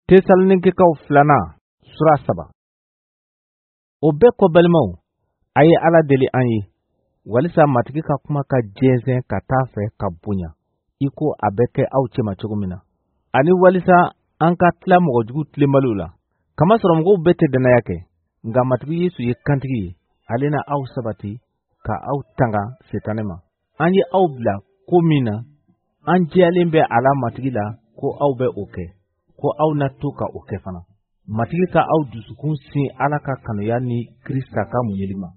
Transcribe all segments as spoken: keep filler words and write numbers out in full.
Tesalonikɛkaw filanan sura saba. O bɛɛ kɔ, balimaw, a ye Ala deli an ye walisa Matigi ka kuma ka jɛnsɛn ka taa fɛ ka bonya i ko a bɛ kɛ aw cɛma cogo min na, ani walisa an ka tila mɔgɔjugu tilenbaliw la. Kamasɔrɔ mɔgɔw bɛɛ tɛ dannaya kɛ, nka Matigi Yesu ye kantigi ye, ale na aw sabati ka aw tanga Setanɛ ma. An ye aw bila ko min na, an jɛyalen bɛ a la Matigi la ko aw bɛ o kɛ, ko aw na to ka o kɛ fana. Matigi ka aw dusukun sin Ala ka kanuya ni Krista ka muɲuli ma.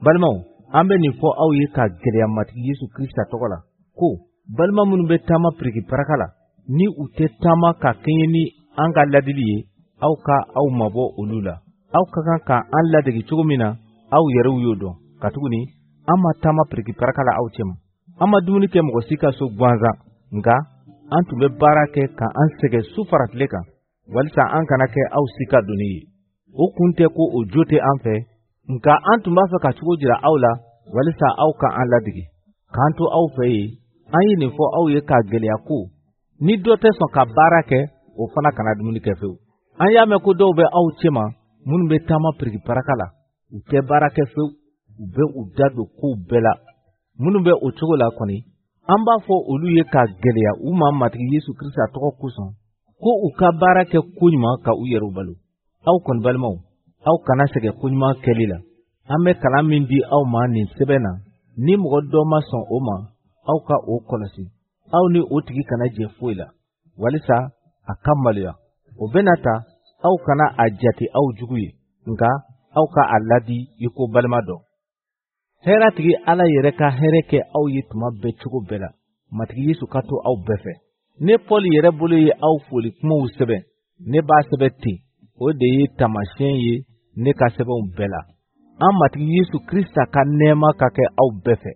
Balimaw, an bɛ nin fɔ aw ye ka gɛlɛya Matigi Yesu Krista tɔgɔ la ko balima minnu bɛ taama piriki paraka la, ni u tɛ taama ka kɛɲɛ ni an ka ladili ye, aw ka aw mabɔ olu la. Aw ka kan ka an ladege cogo min na, aw yɛrɛw y'o dɔn, katuguni an ma taama piriki paraka la aw cɛma. An ma dumuni kɛ mɔgɔ si ka so gansan, nka an tun bɛ baara kɛ ka an sɛgɛn su fara tile kan, walisa an kana kɛ aw si ka doni ye. O kun tɛ ko o jo tɛ an fɛ, nka an tun b'a fɛ ka cogo jira aw la walisa aw ka an ladege. K'an to aw fɛ yen, an ye nin fɔ aw ye k'a gɛlɛya ko ni dɔ tɛ sɔn ka baara kɛ, o fana kana dumuni kɛ fewu. An y'a mɛn ko dɔw bɛ aw cɛma minnu bɛ taama piriki paraka la, u tɛ baara kɛ fewu, u bɛ u da don kow bɛɛ la. Minnu bɛ o cogo la kɔni, an b'a fɔ olu ye k'a gɛlɛya u ma Matigi Yesu Krista tɔgɔ kosɔn ko u ka baara kɛ koɲuman ka u yɛrɛw balo. Aw kɔni balimaw, aw kana sɛgɛn koɲuman kɛli la. An bɛ kalan min di aw ma nin sɛbɛn na, ni mɔgɔ dɔ ma sɔn o ma, aw ka o kɔlɔsi. Aw ni o tigi kana jɛ foyi la, walisa a ka maloya. O bɛna ta, aw kana a jate aw jugu ye, nka aw ka a ladi i ko balima dɔ. Hɛrɛtigi Ala yɛrɛ ka hɛrɛ kɛ aw ye tuma bɛɛ cogo bɛɛ la. Matigi Yesu ka to aw bɛɛ fɛ. Ne Paul yɛrɛ bolo ye aw foli kumaw sɛbɛn. Ne b'a sɛbɛn ten, o de ye taamasiyɛn ye ne ka sɛbɛnw bɛɛ la. An Matigi Yesu Krista ka nɛɛma ka kɛ aw bɛɛ fɛ.